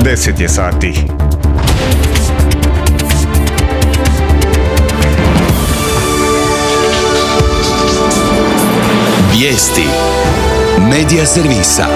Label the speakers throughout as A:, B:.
A: 10 je sati.
B: Vijesti Medija servisa.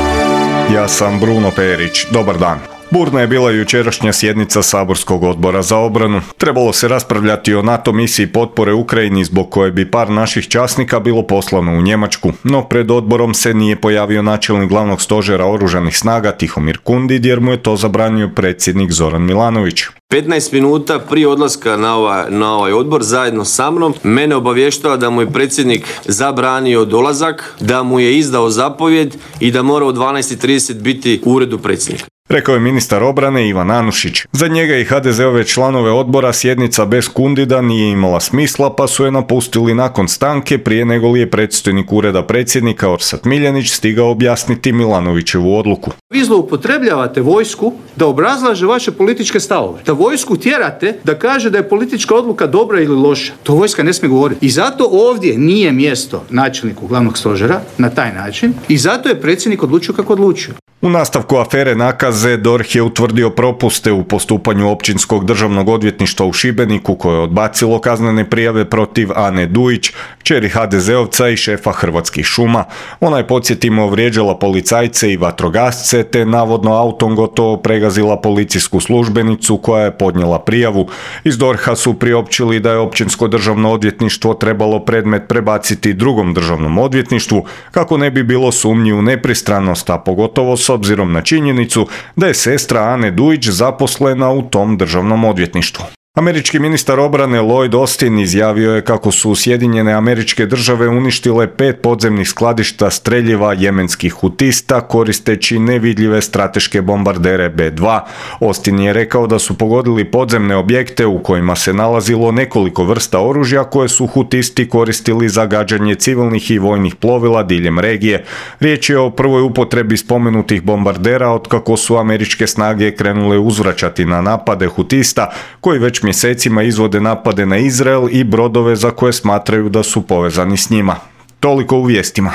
A: Ja sam Bruno Perić. Dobar dan. Burna je bila jučerašnja sjednica Saborskog odbora za obranu. Trebalo se raspravljati o NATO misiji potpore Ukrajini zbog koje bi par naših časnika bilo poslano u Njemačku, no pred odborom se nije pojavio načelnik glavnog stožera oružanih snaga Tihomir Kundid jer mu je to zabranio predsjednik Zoran Milanović.
C: 15 minuta prije odlaska na ovaj odbor zajedno sa mnom mene obavještava da mu je predsjednik zabranio dolazak, da mu je izdao zapovjed i da mora u 12:30 biti u uredu predsjednika.
A: Rekao je ministar obrane Ivan Anušić. Za njega i HDZ-ove članove odbora sjednica bez Kundida nije imala smisla, pa su je napustili nakon stanke prije nego li je predstojnik ureda predsjednika Orsat Miljenić stigao objasniti Milanovićevu odluku.
D: Vi zloupotrebljavate vojsku da obrazlaže vaše političke stavove. Da vojsku tjerate da kaže da je politička odluka dobra ili loša. To vojska ne smije govoriti. I zato ovdje nije mjesto načelniku glavnog stožera na taj način i zato je predsjednik odlučio kako odlučio.
A: U nastavku afere nakaze DORH je utvrdio propuste u postupanju Općinskog državnog odvjetništva u Šibeniku koje je odbacilo kaznene prijave protiv Ane Dujić, kćeri HDZ-ovca i šefa Hrvatskih šuma. Ona je, podsjetimo, vrijeđala policajce i vatrogasce te navodno autom gotovo pregazila policijsku službenicu koja je podnijela prijavu. Iz DORH-a su priopćili da je Općinsko državno odvjetništvo trebalo predmet prebaciti drugom državnom odvjetništvu kako ne bi bilo sumnji u nepristranost, a pogotovo s obzirom na činjenicu da je sestra Ane Dujić zaposlena u tom državnom odvjetništvu. Američki ministar obrane Lloyd Austin izjavio je kako su Sjedinjene Američke Države uništile 5 podzemnih skladišta streljiva jemenskih hutista koristeći nevidljive strateške bombardere B-2. Austin je rekao da su pogodili podzemne objekte u kojima se nalazilo nekoliko vrsta oružja koje su hutisti koristili za gađanje civilnih i vojnih plovila diljem regije. Riječ je o prvoj upotrebi spomenutih bombardera otkako su američke snage krenule uzvraćati na napade hutista koji već mjesecima izvode napade na Izrael i brodove za koje smatraju da su povezani s njima. Toliko u vijestima.